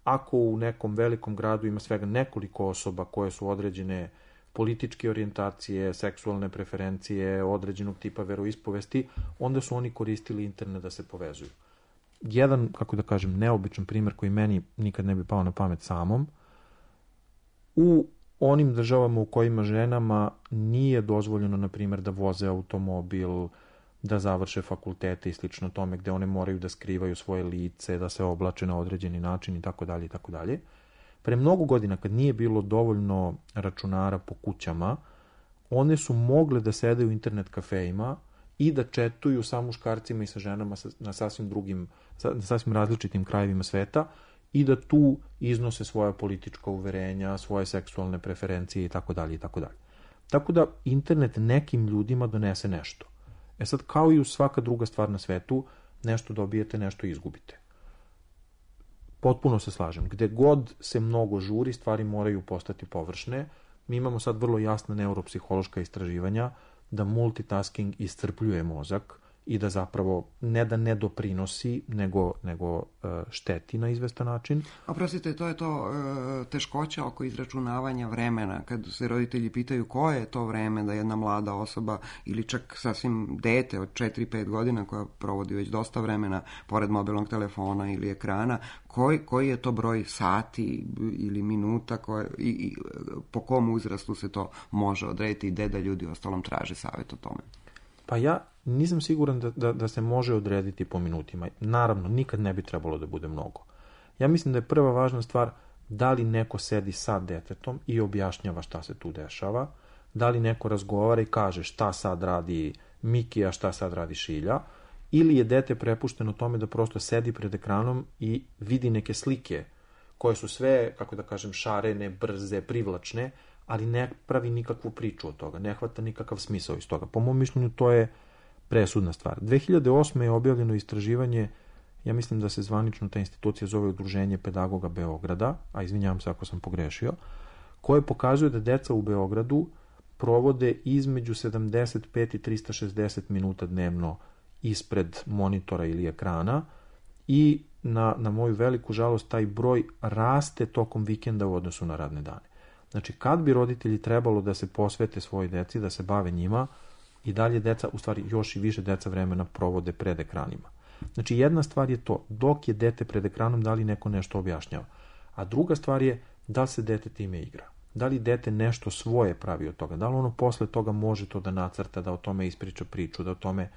Ako u nekom velikom gradu ima svega nekoliko osoba koje su određene političke orijentacije, seksualne preferencije, određenog tipa veroispovesti, onda su oni koristili internet da se povezuju. Jedan, kako da kažem, neobičan primjer koji meni nikad ne bi pao na pamet samom, u onim državama u kojima ženama nije dozvoljeno, na primjer, da voze automobil, da završe fakultete i slično tome, gde one moraju da skrivaju svoje lice, da se oblače na određeni način i tako dalje i tako dalje. Pre mnogo godina, kad nije bilo dovoljno računara po kućama, one su mogle da sede u internet kafejima i da četuju sa muškarcima i sa ženama na sasvim drugim, na sasvim različitim krajevima sveta i da tu iznose svoja politička uverenja, svoje seksualne preferencije i tako dalje i tako dalje. Tako da internet nekim ljudima donese nešto. E sad, kao i u svaka druga stvar na svetu, nešto dobijete, nešto izgubite. Potpuno se slažem. Gde god se mnogo žuri, stvari moraju postati površne. Mi imamo sad vrlo jasna neuropsihološka istraživanja da multitasking iscrpljuje mozak i da zapravo ne da ne doprinosi, nego, nego šteti na izvestan način. Oprostite, to je to teškoća oko izračunavanja vremena. Kad se roditelji pitaju koje je to vreme da jedna mlada osoba ili čak sasvim dete od četiri pet godina koja provodi već dosta vremena pored mobilnog telefona ili ekrana, koji, koji je to broj sati ili minuta koje, i, i po kom uzrastu se to može odrediti i gde da ljudi ostalom traže savjet o tome? Pa ja nisam siguran da, da, da se može odrediti po minutima. Naravno, nikad ne bi trebalo da bude mnogo. Ja mislim da je prva važna stvar da li neko sedi sa detetom i objašnjava šta se tu dešava, da li neko razgovara i kaže šta sad radi Miki, a šta sad radi Šilja, ili je dete prepušteno tome da prosto sedi pred ekranom i vidi neke slike koje su sve, kako da kažem, šarene, brze, privlačne, ali ne pravi nikakvu priču od toga, ne hvata nikakav smisao iz toga. Po mom mišljenju to je presudna stvar. dve hiljade osme je objavljeno istraživanje, ja mislim da se zvanično ta institucija zove Udruženje pedagoga Beograda, a izvinjavam se ako sam pogrešio, koje pokazuje da deca u Beogradu provode između sedamdeset pet i trista šezdeset minuta dnevno ispred monitora ili ekrana i na, na moju veliku žalost taj broj raste tokom vikenda u odnosu na radne dane. Znači, kad bi roditelji trebalo da se posvete svojoj deci, da se bave njima, i dalje deca, u stvari još i više deca vremena provode pred ekranima. Znači, jedna stvar je to, dok je dete pred ekranom, da li neko nešto objašnjava. A druga stvar je, da li se dete time igra. Da li dete nešto svoje pravi od toga. Da li ono posle toga može to da nacrta, da o tome ispriča priču, da o tome,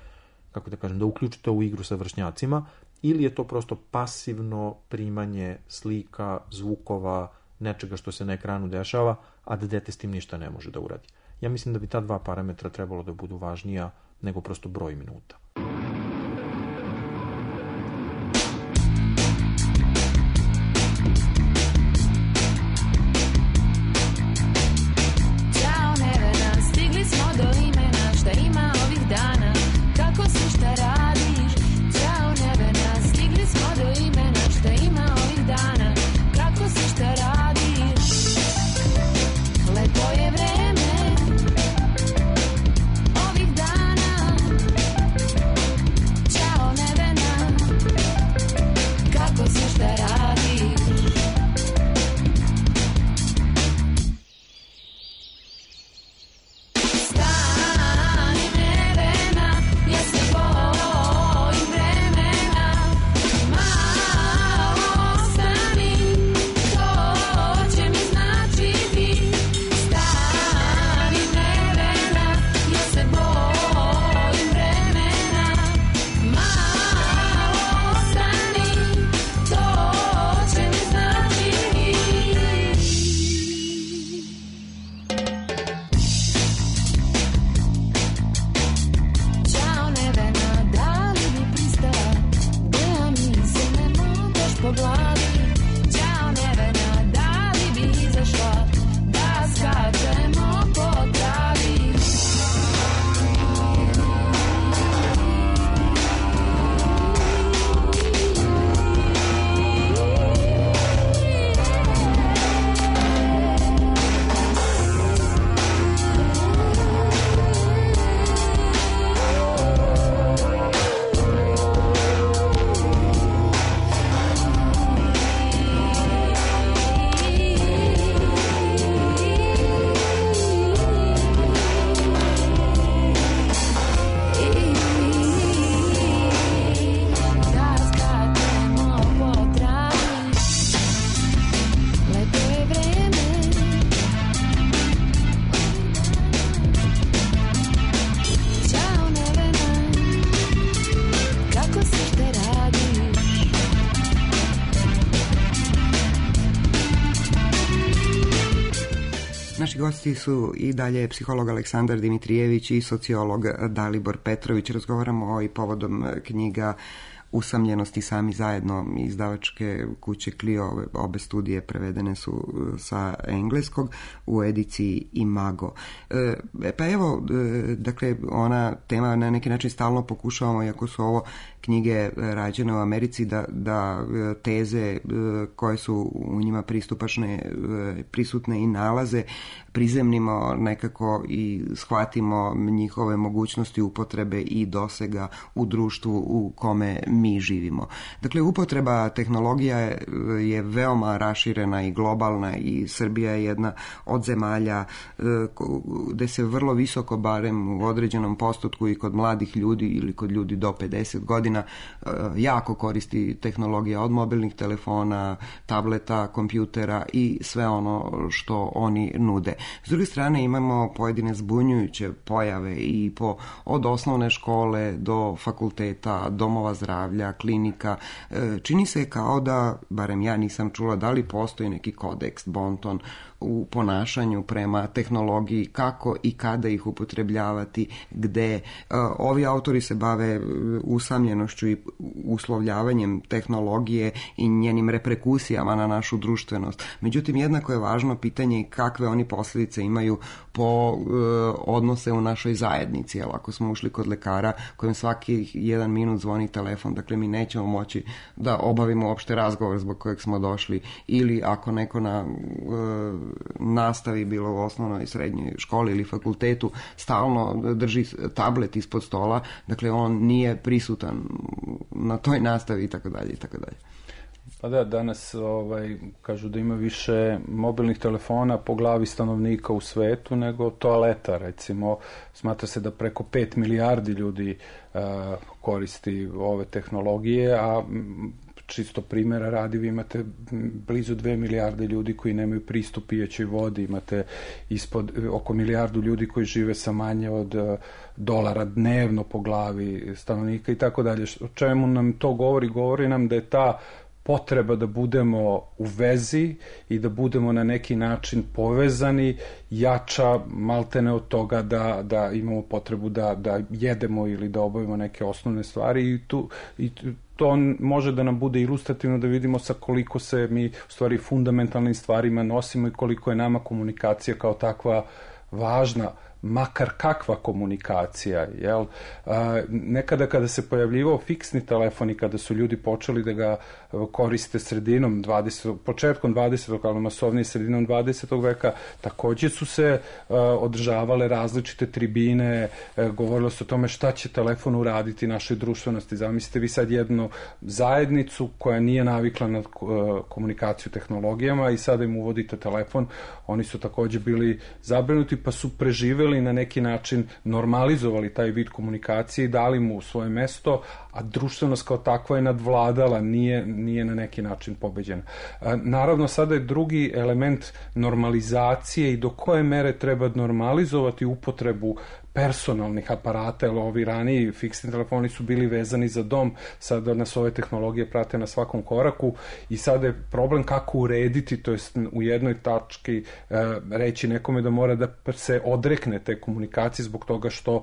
kako da kažem, da uključi to u igru sa vršnjacima, ili je to prosto pasivno primanje slika, zvukova, nečega što se na ekranu dešava, a da dete s tim ništa ne može da uradi. Ja mislim da bi ta dva parametra trebalo da budu važnija nego prosto broj minuta. Ćao Nevena, stigli smo do imena, šta ima ovih dana, kako si, šta radiš? Ćao Nevena, stigli smo do imena, šta ima ovih dana, kako si, šta radiš? Lepo je vreme, po glavi. Ćao Nevena, da li bi izašla da skačemo po travi? Naši gosti su i dalje psiholog Aleksandar Dimitrijević i sociolog Dalibor Petrović. Razgovaramo i povodom knjiga Usamljenosti sami zajedno izdavačke kuće Clio. Obe studije prevedene su sa engleskog u ediciji Imago. E, pa evo, dakle, ona tema na neki način stalno pokušavamo, iako su ovo knjige rađene u Americi, da, da teze koje su u njima pristupačne, prisutne i nalaze prizemnimo nekako i shvatimo njihove mogućnosti upotrebe i dosega u društvu u kome mi živimo. Dakle, upotreba tehnologija je, je veoma raširena i globalna i Srbija je jedna od zemalja gde se vrlo visoko, barem u određenom postotku i kod mladih ljudi ili kod ljudi do pedeset godina, jako koristi tehnologija od mobilnih telefona, tableta, kompjutera i sve ono što oni nude. S druge strane imamo pojedine zbunjujuće pojave i po, od osnovne škole do fakulteta, domova zdravlja, klinika. Čini se kao da, barem ja nisam čula, da li postoji neki kodeks, bonton u ponašanju prema tehnologiji, kako i kada ih upotrebljavati, gde. Ovi autori se bave usamljenošću i uslovljavanjem tehnologije i njenim reperkusijama na našu društvenost. Međutim, jednako je važno pitanje kakve oni posljedice imaju po e, odnose u našoj zajednici. Jel, ako smo ušli kod lekara kojem svaki jedan minut zvoni telefon, dakle mi nećemo moći da obavimo uopšte razgovor zbog kojeg smo došli, ili ako neko na e, nastavi, bilo u osnovnoj i srednjoj školi ili fakultetu, stalno drži tablet ispod stola, dakle on nije prisutan na toj nastavi i tako dalje i tako dalje. Pa da, danas ovaj, kažu da ima više mobilnih telefona po glavi stanovnika u svetu nego toaleta, recimo. Smatra se da preko pet milijardi ljudi uh, koristi ove tehnologije, a čisto primjera radi, vi imate blizu dve milijarde ljudi koji nemaju pristup pijećoj vodi, imate ispod oko milijardu ljudi koji žive sa manje od dolara dnevno po glavi stanovnika i tako dalje. O čemu nam to govori? Govori nam da je ta potreba da budemo u vezi i da budemo na neki način povezani jača maltene od toga da, da imamo potrebu da, da jedemo ili da obavimo neke osnovne stvari i tu i to može da nam bude ilustrativno da vidimo sa koliko se mi u stvari fundamentalnim stvarima nosimo i koliko je nama komunikacija kao takva važna, makar kakva komunikacija, jel? A, nekada kada se pojavljivao fiksni telefon i kada su ljudi počeli da ga koriste sredinom dvadesetog početkom dvadesetog ali masovnije sredinom dvadesetog veka, takođe su se a, održavale različite tribine, a, govorilo se o tome šta će telefon uraditi našoj društvenosti. Zamislite vi sad jednu zajednicu koja nije navikla na a, komunikaciju tehnologijama i sada im uvodite telefon, oni su takođe bili zabrinuti pa su preživeli na neki način normalizovali taj vid komunikacije i dali mu svoje mesto, a društvenost kao takva je nadvladala, nije, nije na neki način pobeđena. Naravno, sada je drugi element normalizacije i do koje mere treba normalizovati upotrebu personalnih aparata, jer ovi raniji fiksni telefoni su bili vezani za dom, sada nas ove tehnologije prate na svakom koraku i sada je problem kako urediti, to jest u jednoj tački e, reći nekome da mora da se odrekne te komunikacije zbog toga što e,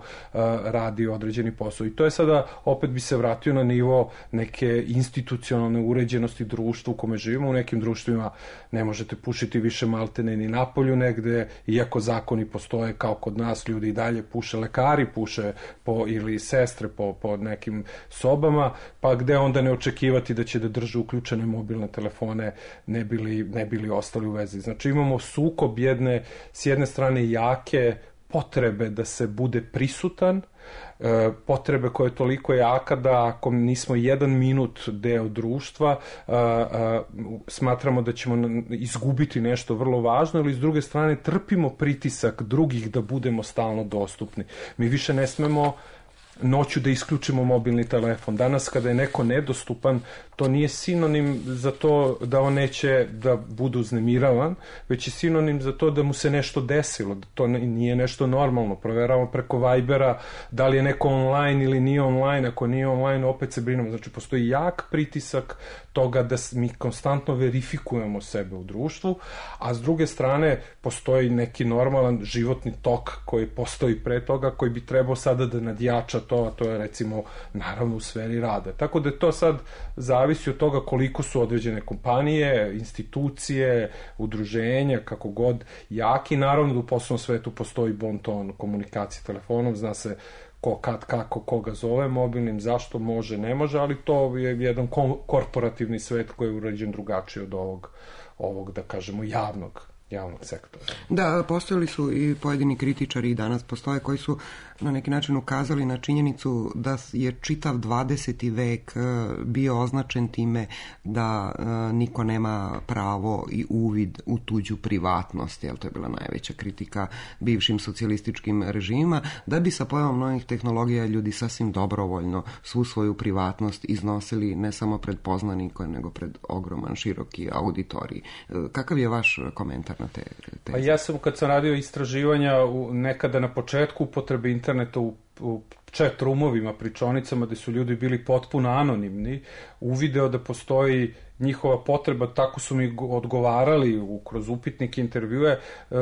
radi određeni posao. I to je sada, opet bi se vratio na nivo neke institucionalne uređenosti društva u kome živimo. U nekim društvima ne možete pušiti više maltene ni napolju negde, iako zakoni postoje kao kod nas, ljudi i dalje puše, lekari puše po, ili sestre po, po nekim sobama, pa gde onda ne očekivati da će da drže uključene mobilne telefone ne bili, ne bili ostali u vezi. Znači imamo sukob jedne, s jedne strane jake potrebe da se bude prisutan, e, potrebe koja je toliko jaka da ako nismo jedan minut deo društva, a, a, smatramo da ćemo izgubiti nešto vrlo važno, ili s druge strane trpimo pritisak drugih da budemo stalno dostupni. Mi više ne smemo noću da isključimo mobilni telefon. Danas kada je neko nedostupan, to nije sinonim za to da on neće da bude uznemiravan, već je sinonim za to da mu se nešto desilo, da to nije nešto normalno. Proveravamo preko Vibera da li je neko online ili nije online, ako nije online opet se brinemo. Znači postoji jak pritisak toga da mi konstantno verifikujemo sebe u društvu, a s druge strane postoji neki normalan životni tok koji postoji pre toga, koji bi trebao sada da nadjača to, a to je recimo naravno u sferi rada. Tako da to sad zavisi od toga koliko su određene kompanije, institucije, udruženja, kako god jaki. Naravno da u poslovnom svetu postoji bon ton komunikacije telefonom, zna se ko, kad, kako, koga zove mobilnim, zašto može, ne može, ali to je jedan korporativni svet koji je urađen drugačije od ovog, ovog da kažemo, javnog javnog sektora. Da, postojali su i pojedini kritičari i danas postoje koji su na neki način ukazali na činjenicu da je čitav dvadeseti vek bio označen time da niko nema pravo i uvid u tuđu privatnost, jer to je bila najveća kritika bivšim socijalističkim režimima, da bi sa pojavom novih tehnologija ljudi sasvim dobrovoljno svu svoju privatnost iznosili ne samo pred poznanike, nego pred ogroman, široki auditorij. Kakav je vaš komentar na te teze? Pa ja sam, kad sam radio istraživanja u, nekada na početku upotrebe interneta u, u chat roomovima, pričonicama, gde su ljudi bili potpuno anonimni, uvideo da postoji njihova potreba, tako su mi odgovarali u, kroz upitnike, intervjue, e,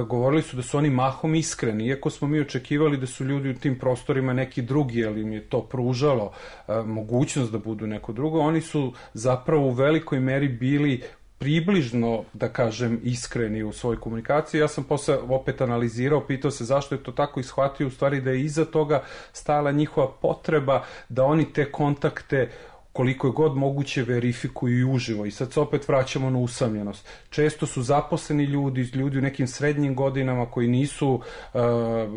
govorili su da su oni mahom iskreni, iako smo mi očekivali da su ljudi u tim prostorima neki drugi, ali im je to pružalo e, mogućnost da budu neko drugo, oni su zapravo u velikoj meri bili približno, da kažem, iskreni u svojoj komunikaciji. Ja sam posle opet analizirao, pitao se zašto je to tako i shvatio u stvari da je iza toga stajala njihova potreba da oni te kontakte koliko je god moguće verifikuju i uživo. I sad se opet vraćamo na usamljenost. Često su zaposleni ljudi, ljudi u nekim srednjim godinama koji nisu uh,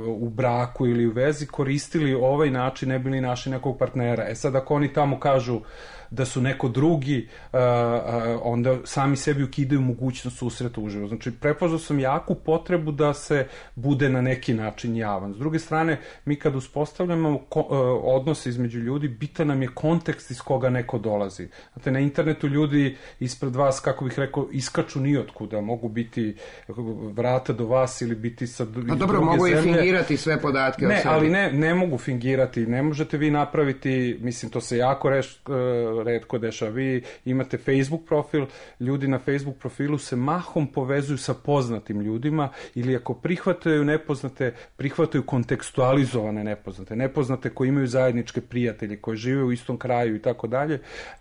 u braku ili u vezi, koristili ovaj način, ne bili našli nekog partnera. E sad ako oni tamo kažu da su neko drugi, uh, uh, onda sami sebi ukidaju mogućnost susreta uživo. Znači, prepoznao sam jaku potrebu da se bude na neki način javan. S druge strane, mi kad uspostavljamo ko, uh, odnose između ljudi, bitan nam je kontekst iz koga neko dolazi. Znate, na internetu ljudi ispred vas, kako bih rekao, iskaču nijotkuda. Mogu biti vrata do vas ili biti sa druge zemlje. A dobro, mogu i fingirati sve podatke ne, o sebi. ali ne, ne mogu fingirati. Ne možete vi napraviti, mislim, to se jako reš, retko dešava. Vi imate Facebook profil, ljudi na Facebook profilu se mahom povezuju sa poznatim ljudima ili ako prihvataju nepoznate, prihvataju kontekstualizovane nepoznate. Nepoznate koji imaju zajedničke prijatelje, koji žive u istom kraju i tako dalje.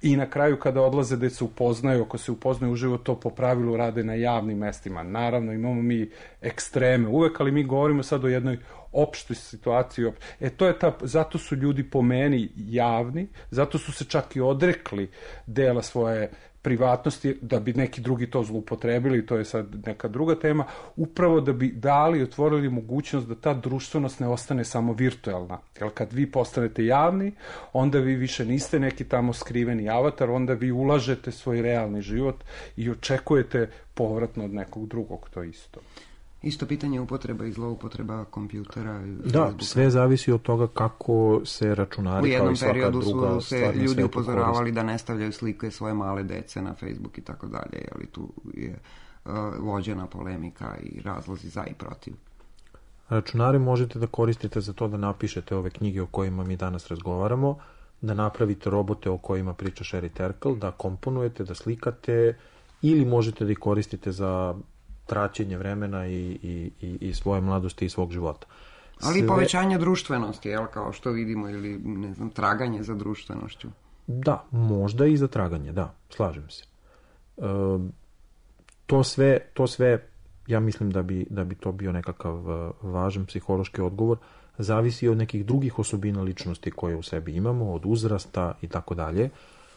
I na kraju kada odlaze da se upoznaju, ako se upoznaju uživo, to po pravilu rade na javnim mestima. Naravno, imamo mi ekstreme uvek, ali mi govorimo sad o jednoj opštoj situaciji. E to je ta, zato su ljudi po meni javni, zato su se čak i odrekli dela svoje privatnosti, da bi neki drugi to zloupotrebili, to je sad neka druga tema, upravo da bi dali, otvorili mogućnost da ta društvenost ne ostane samo virtualna. Jer kad vi postanete javni, onda vi više niste neki tamo skriveni avatar, onda vi ulažete svoj realni život i očekujete povratno od nekog drugog, to isto. Isto pitanje upotreba i zloupotreba kompjutera. Da, Facebooka. Sve zavisi od toga kako se računari kao i svaka druga stvar. U jednom periodu su se ljudi upozoravali da ne stavljaju slike svoje male dece na Facebook i tako dalje, ali tu je uh, vođena polemika i razlozi za i protiv. Računare možete da koristite za to da napišete ove knjige o kojima mi danas razgovaramo, da napravite robote o kojima priča Sherry Terkel, da komponujete, da slikate, ili možete da ih koristite za traćenje vremena i, i, i, i svoje mladosti i svog života. Ali Sve... povećanje društvenosti, jel, kao što vidimo, ili, ne znam, traganje za društvenošću. Da, možda i za traganje, da, slažem se. E, to sve, to sve, ja mislim da bi, da bi to bio nekakav važan psihološki odgovor, zavisi od nekih drugih osobina ličnosti koje u sebi imamo, od uzrasta i tako dalje.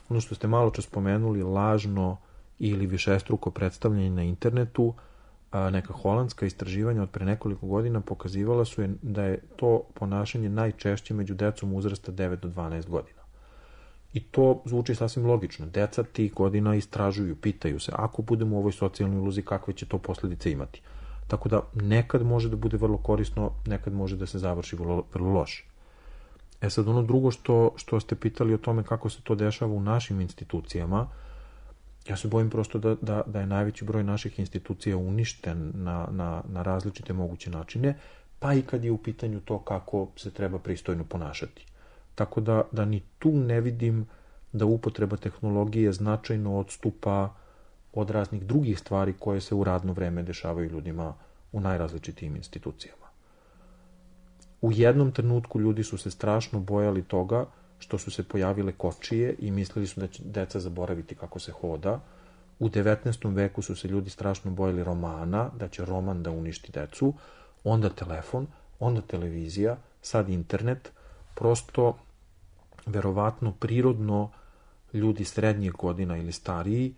Ono što ste malo čas spomenuli, lažno ili višestruko predstavljanje na internetu, neka holandska istraživanja od pre nekoliko godina pokazivala su je da je to ponašanje najčešće među decom uzrasta devet do dvanaest godina. I to zvuči sasvim logično. Deca tih godina istražuju, pitaju se, ako budemo u ovoj socijalnoj iluziji, kakve će to posljedice imati. Tako da nekad može da bude vrlo korisno, nekad može da se završi vrlo, vrlo loše. E sad, ono drugo što, što ste pitali o tome kako se to dešava u našim institucijama, ja se bojim prosto da, da, da je najveći broj naših institucija uništen na, na, na različite moguće načine, pa i kad je u pitanju to kako se treba pristojno ponašati. Tako da, da ni tu ne vidim da upotreba tehnologije značajno odstupa od raznih drugih stvari koje se u radno vreme dešavaju ljudima u najrazličitijim institucijama. U jednom trenutku ljudi su se strašno bojali toga što su se pojavile kočije i mislili su da će deca zaboraviti kako se hoda. U devetnaestom veku su se ljudi strašno bojali romana, da će roman da uništi decu, onda telefon, onda televizija, sad internet. Prosto, verovatno, prirodno ljudi srednjih godina ili stariji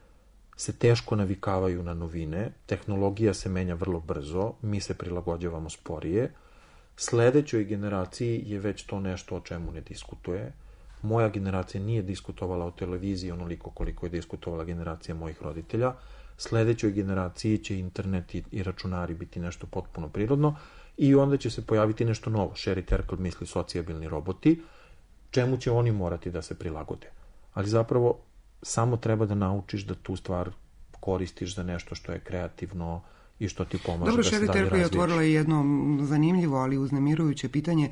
se teško navikavaju na novine, tehnologija se menja vrlo brzo, mi se prilagođavamo sporije, sledećoj generaciji je već to nešto o čemu ne diskutuje. Moja generacija nije diskutovala o televiziji onoliko koliko je diskutovala generacija mojih roditelja. Sledećoj generaciji će internet i, i računari biti nešto potpuno prirodno i onda će se pojaviti nešto novo. Sherry Terkel misli socijabilni roboti, čemu će oni morati da se prilagode. Ali zapravo samo treba da naučiš da tu stvar koristiš za nešto što je kreativno i što ti pomaže. Dobro, da se dalje Sherry Terkel je razvijaš. otvorila jedno zanimljivo, ali uznemirujuće pitanje,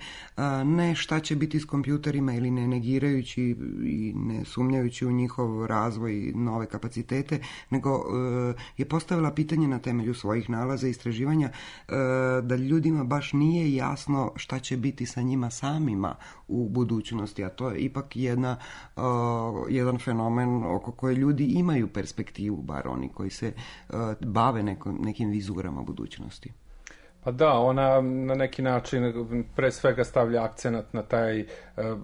ne šta će biti s kompjuterima ili ne negirajući i ne sumnjajući u njihov razvoj i nove kapacitete, nego je postavila pitanje na temelju svojih nalaza i istraživanja da ljudima baš nije jasno šta će biti sa njima samima u budućnosti, a to je ipak jedna, jedan fenomen oko koje ljudi imaju perspektivu, bar oni koji se bave neko, nekim vizurama budućnosti. Pa da, ona na neki način pre svega stavlja akcenat na taj e,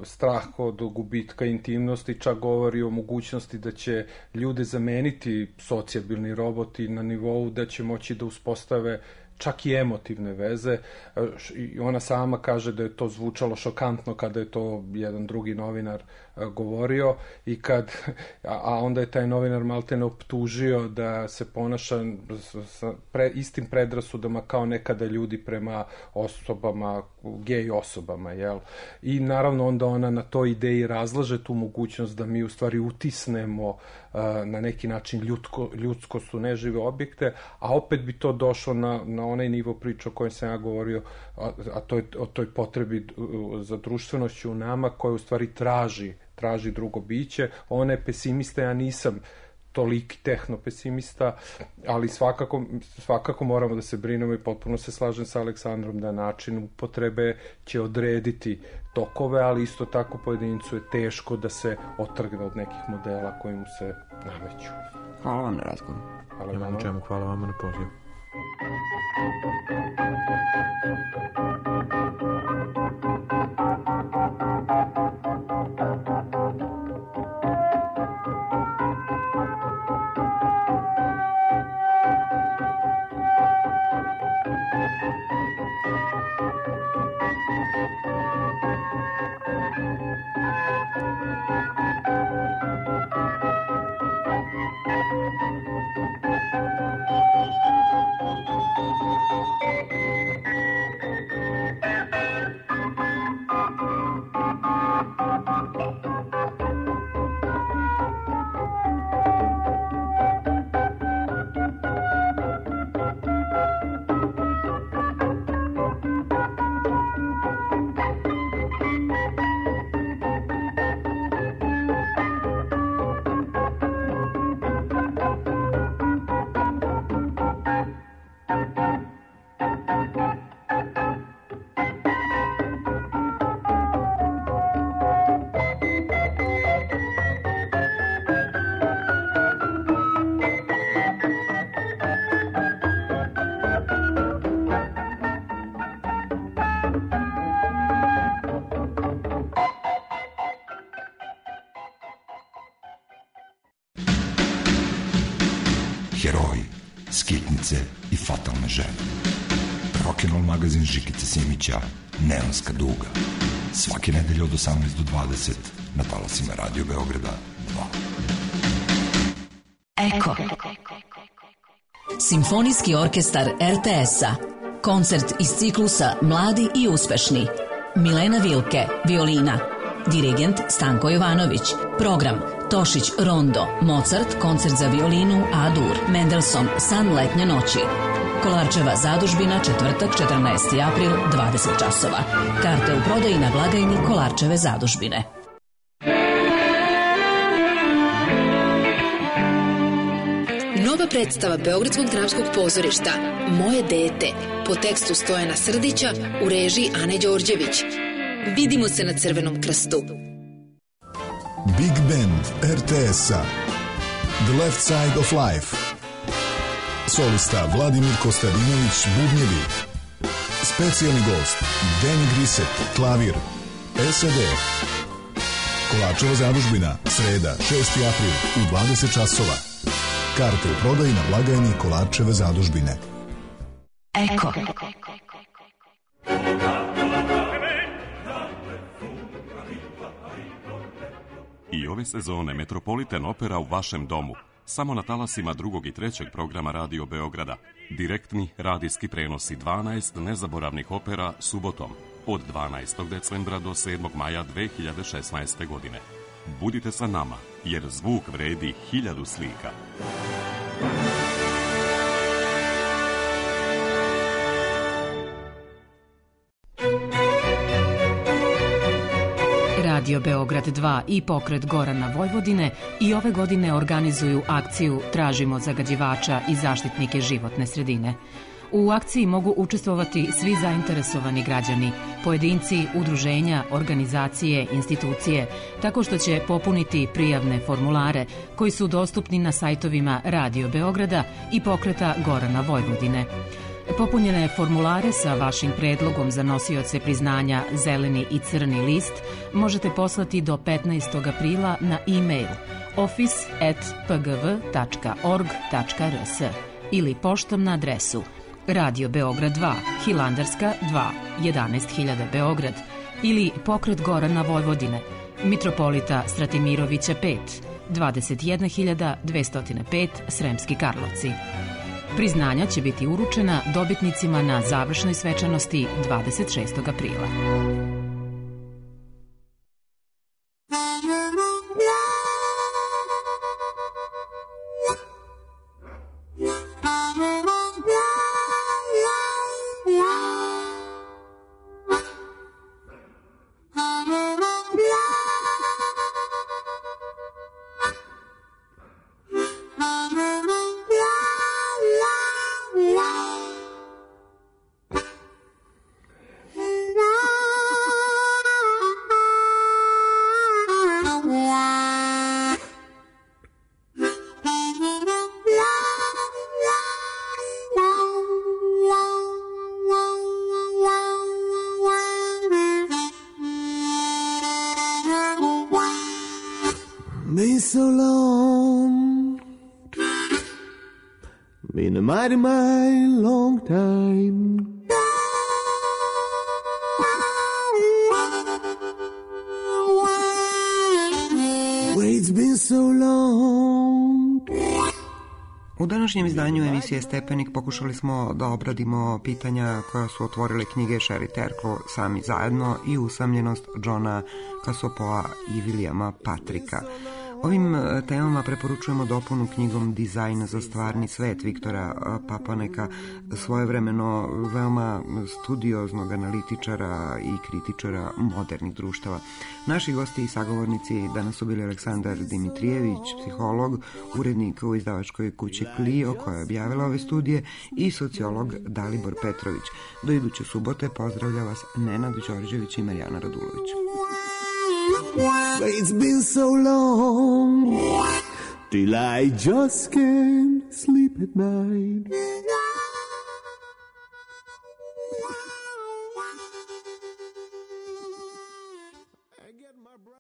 strah od gubitka intimnosti, čak govori o mogućnosti da će ljude zameniti socijabilni roboti na nivou da će moći da uspostave čak i emotivne veze. I ona sama kaže da je to zvučalo šokantno kada je to jedan drugi novinar govorio i kad, a onda je taj novinar maltene optužio da se ponaša sa pre, istim predrasudama kao nekada ljudi prema osobama, gej osobama, jel? I naravno onda ona na toj ideji razlaže tu mogućnost da mi u stvari utisnemo uh, na neki način ljudsko, ljudskost u nežive objekte, a opet bi to došlo na, na onaj nivo priče o kojem sam ja govorio, a, a to je o toj potrebi za društvenošću u nama koja u stvari traži traži drugo biće. Ona je pesimista, ja nisam toliki tehnopesimista, ali svakako, svakako moramo da se brinemo i potpuno se slažem sa Aleksandrom da način upotrebe će odrediti tokove, ali isto tako pojedincu je teško da se otrgne od nekih modela koji mu se nameću. Hvala vam na razgovoru. Hvala vam na čemu, hvala vam na pozivu. heroji, skitnice i fatalne žene. Rock'n'roll magazin Žikice Simića, Neonska duga. Svake nedelje od osamnaest do dvadeset na talasima Radio Beograda dva. Eko. Simfonijski orkestar er te es-a. Koncert iz ciklusa Mladi i uspešni. Milena Vilke, violina. Dirigent Stanko Jovanović. Program Tošić Rondo, Mozart, koncert za violinu A-dur, Mendelssohn, San letnje noći. Kolarčeva zadužbina, četvrtak, četrnaesti april, dvadeset časova. Karte u prodaji na blagajni Kolarčeve zadužbine. Nova predstava Beogradskog dramskog pozorišta Moje dete, po tekstu Stojana Srdića, u režiji Ane Đorđević. Vidimo se na Crvenom krstu. Big Band er te es-a, The Left Side of Life. Solista Vladimir Kostadinović, bubnjevi. Specijalni gost Danny Grisset, klavir. es a de. Kolarčeva zadužbina, sreda, šesti april, u dvadeset časova. Karte u prodaji na blagajni Kolarčeve zadužbine. Eko. I ove sezone Metropolitan Opera u vašem domu. Samo na talasima drugog i trećeg programa Radio Beograda. Direktni radijski prenosi dvanaest nezaboravnih opera subotom od dvanaestog decembra do sedmog maja dve hiljade šesnaeste. godine. Budite sa nama, jer zvuk vredi hiljadu slika. Radio Beograd dva i pokret Gorana Vojvodine i ove godine organizuju akciju Tražimo zagađivača i zaštitnike životne sredine. U akciji mogu učestvovati svi zainteresovani građani, pojedinci, udruženja, organizacije, institucije, tako što će popuniti prijavne formulare koji su dostupni na sajtovima Radio Beograda i pokreta Gorana Vojvodine. Popunjene formulare sa vašim predlogom za nosioce priznanja Zeleni i Crni list možete poslati do petnaestog aprila na e-mail office at p g v tačka org tačka r s ili poštom na adresu Radio Beograd dva, Hilandarska dva, jedanaest hiljada Beograd ili pokret Gorana Vojvodine, Mitropolita Stratimirovića pet, dvadeset jedna hiljada dvesta pet, Sremski Karlovci. Priznanja će biti uručena dobitnicima na završnoj svečanosti dvadeset šestog aprila. Been so long, been a mighty, mighty long time. Wait's been so long. U današnjem izdanju emisije Stepenik pokušali smo da obradimo pitanja koja su otvorile knjige Sherry Terklo Sami zajedno i Usamljenost Johna Cassopoa i Williama Patricka. Ovim temama preporučujemo dopunu knjigom Dizajn za stvarni svet Viktora Papaneka, svojevremeno veoma studioznog analitičara i kritičara modernih društava. Naši gosti i sagovornici danas su bili Aleksandar Dimitrijević, psiholog, urednik u izdavačkoj kući Clio koja je objavila ove studije, i sociolog Dalibor Petrović. Do iduće subote pozdravlja vas Nenad Đorđević i Marijana Radulović. It's been so long till I just can't sleep at night.